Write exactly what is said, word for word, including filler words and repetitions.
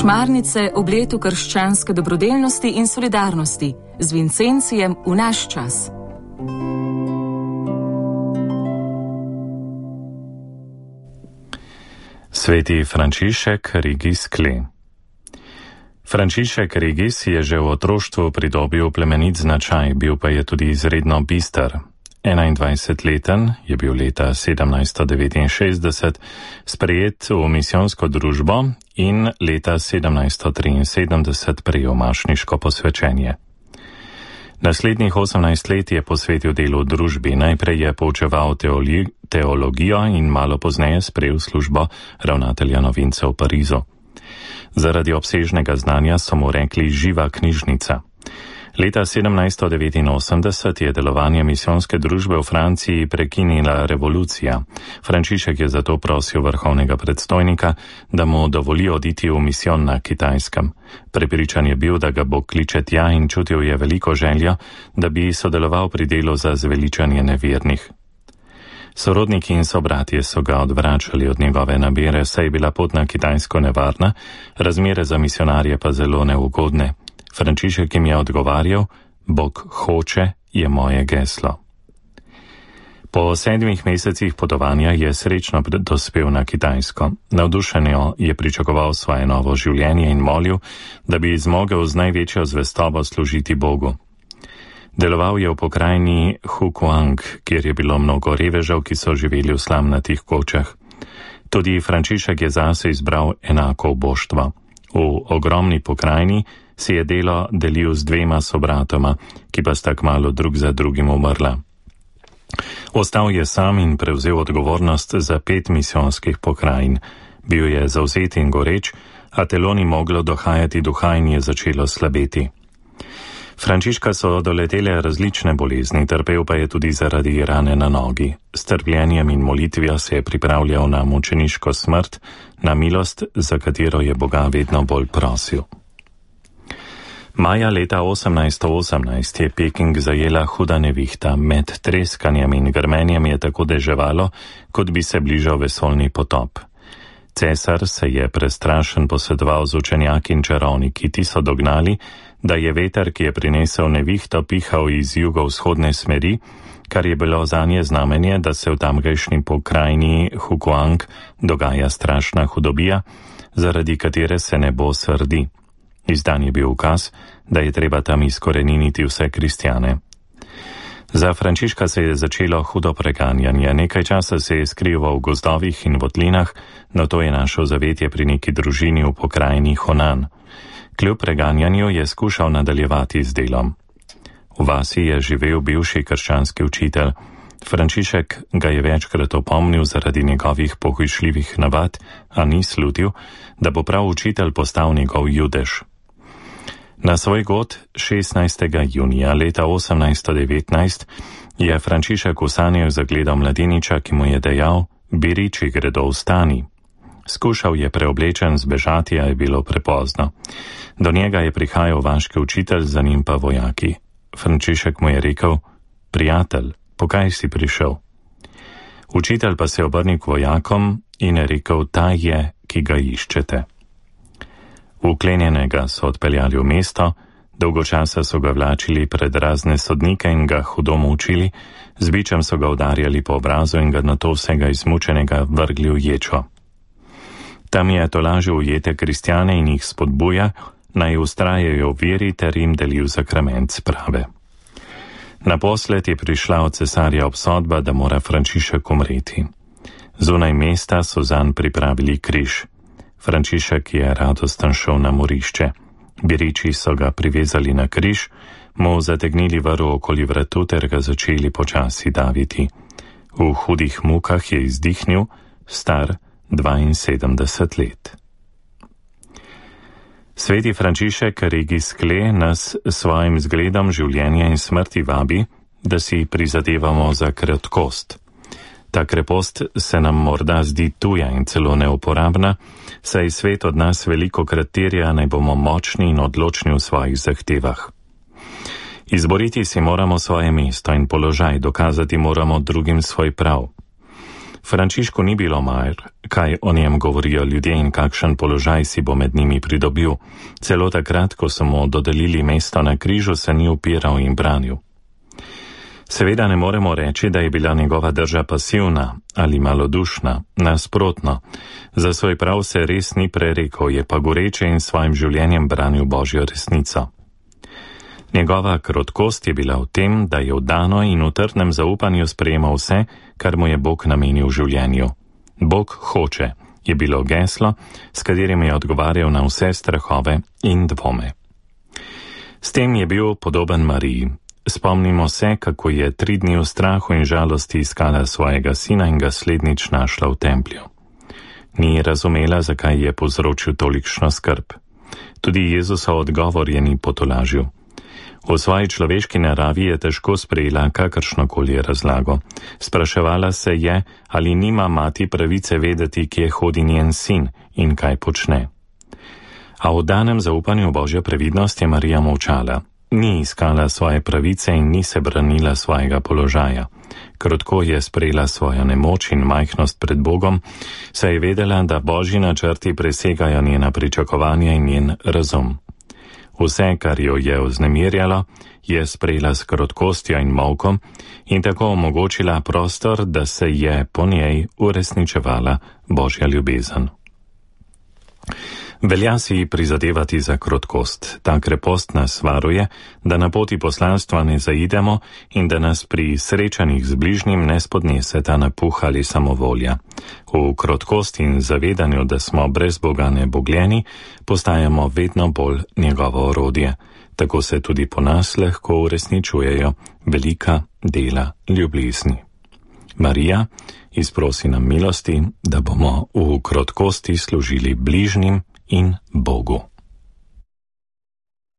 Šmarnice ob letu krščanske dobrodelnosti in solidarnosti z Vincencijem v naš čas. Sveti Frančišek Regis Kle. Frančišek Regis je že v otroštvu pridobil plemenit značaj, bil pa je tudi izredno bister. enaindvajsetleten je bil leta sedemnajststo devetinšestdeset sprejet v misijonsko družbo in leta sedemnajststo triinsedemdeset prejel mašniško posvečenje. Naslednjih osemnajst let je posvetil delu v družbi, najprej je poučeval teoli, teologijo in malo pozneje sprejel službo ravnatelja novincev v Parizu. Zaradi obsežnega znanja so mu rekli živa knjižnica. Leta sedemnajststo devetinosemdeset je delovanje misijonske družbe v Franciji prekinila revolucija. Frančišek je zato prosil vrhovnega predstojnika, da mu dovoli oditi v misijon na Kitajskem. Prepričan je bil, da ga Bog kliče tja in čutil je veliko željo, da bi sodeloval pri delu za zveličanje nevernih. Sorodniki in sobratje so ga odvračali od njegove namere, saj je bila pot na Kitajsko nevarna, razmere za misionarje pa zelo neugodne. Frančišek jim je odgovarjal, Bog hoče je moje geslo. Po sedmih mesecih potovanja je srečno dospel na Kitajsko. Navdušenjo je pričakoval svoje novo življenje in molil, da bi zmogel z največjo zvestobo služiti Bogu. Deloval je v pokrajini Hukuang, kjer je bilo mnogo revežev, ki so živeli v slamnatih kočah. Tudi Frančišek je zase izbral enako boštvo. V ogromni pokrajini si je delo delil z dvema sobratoma, ki pa sta kmalu drug za drugim umrla. Ostal je sam in prevzel odgovornost za pet misijonskih pokrajin. Bil je zavzet in goreč, a telo ni moglo dohajati duha in je začelo slabeti. Frančiška so doletele različne bolezni, trpel pa je tudi zaradi rane na nogi. S trpljenjem in molitvijo se je pripravljal na mučeniško smrt, na milost, za katero je Boga vedno bolj prosil. Maja leta osemnajststo osemnajst je Peking zajela huda nevihta, med treskanjem in grmenjem je tako deževalo, kot bi se bližal vesoljni potop. Cesar se je prestrašen posvetoval z učenjaki in čarovniki, ti so dognali, da je veter, ki je prinesel nevihto, pihal iz jugovzhodne smeri, kar je bilo zanje znamenje, da se v tamkajšnji pokrajini Hukuang dogaja strašna hudobija, zaradi katere se nebo srdi. Izdan je bil ukaz, da je treba tam izkoreniniti vse kristjane. Za Frančiška se je začelo hudo preganjanje, nekaj časa se je skrival v gozdovih in votlinah, no to je našel zavetje pri neki družini v pokrajini Honan. Kljub preganjanju je skušal nadaljevati z delom. V vasi je živel bivši krščanski učitelj. Frančišek ga je večkrat opomnil zaradi njegovih pohujšljivih navad, a ni slutil, da bo prav učitelj postal njegov judež. Na svoj god šestnajstega junija leta osemnajststo devetnajst je Frančišek v sanjah zagledal mladeniča, ki mu je dejal, biriči gredo vstani. Skušal je preoblečen zbežati, a je bilo prepozno. Do njega je prihajal vaški učitelj, za njim pa vojaki. Frančišek mu je rekel, prijatelj, pokaj si prišel? Učitelj pa se je obrnil k vojakom in je rekel, ta je, ki ga iščete. Uklenjenega so odpeljali v mesto, dolgo časa so ga vlačili pred razne sodnike in ga hudo mučili, z bičem so ga udarjali po obrazu in ga nato vsega izmučenega vrgli v ječo. Tam je tolažil ujete kristjane in jih spodbuja, naj ustrajajo v veri ter jim delil zakrament sprave. Naposled je prišla od cesarja obsodba, da mora Frančišek umreti. Zunaj mesta so zanj pripravili križ. Frančišek je radosten šel na morišče. Biriči so ga privezali na križ, mu zategnili vrv okoli vratu ter ga začeli počasi daviti. V hudih mukah je izdihnil, star dvainsedemdeset let. Sveti Frančišek Regis Kle nas svojim zgledom življenja in smrti vabi, da si prizadevamo za kratkost. Ta krepost se nam morda zdi tuja in celo neuporabna, saj svet od nas veliko krat terja, naj bomo močni in odločni v svojih zahtevah. Izboriti si moramo svoje mesto in položaj, dokazati moramo drugim svoj prav. Frančišku ni bilo mar, kaj o njem govorijo ljudje in kakšen položaj si bo med njimi pridobil. Celo takrat, ko so mu dodelili mesto na križu, se ni upiral in branil. Seveda ne moremo reči, da je bila njegova drža pasivna ali malodušna, nasprotno. Za svoj prav se res ni prerekel, je pa goreče in svojim življenjem branil Božjo resnico. Njegova krotkost je bila v tem, da je vdano in v trdnem zaupanju sprejemal vse, kar mu je Bog namenil v življenju. Bog hoče je bilo geslo, s katerim je odgovarjal na vse strahove in dvome. S tem je bil podoben Mariji. Spomnimo se, kako je tri dni v strahu in žalosti iskala svojega sina in ga slednjič našla v templju. Ni razumela, zakaj je povzročil tolikšno skrb. Tudi Jezusov odgovor je ni potolažil. V svoji človeški naravi je težko sprejela kakršnokoli razlago. Spraševala se je, ali nima mati pravice vedeti, kje hodi njen sin in kaj počne. A v danem zaupanju Božjo previdnost je Marija molčala. Ni iskala svoje pravice in ni se branila svojega položaja. Krotko je sprejela svojo nemoč in majhnost pred Bogom, saj je vedela, da Božji načrti presegajo njena pričakovanja in njen razum. Vse, kar jo je vznemirjalo, je sprejela s krotkostjo in molkom in tako omogočila prostor, da se je po njej uresničevala Božja ljubezen. Velja si prizadevati za krotkost. Ta krepost nas varuje, da na poti poslanstva ne zaidemo in da nas pri srečanjih z bližnjim ne spodnese ta napuh ali samovolja. V krotkosti in zavedanju, da smo brez Boga nebogljeni, postajamo vedno bolj njegovo orodje. Tako se tudi po nas lahko uresničujejo velika dela ljubezni. Marija, izprosi nam milosti, da bomo v krotkosti služili bližnjim in Bogu.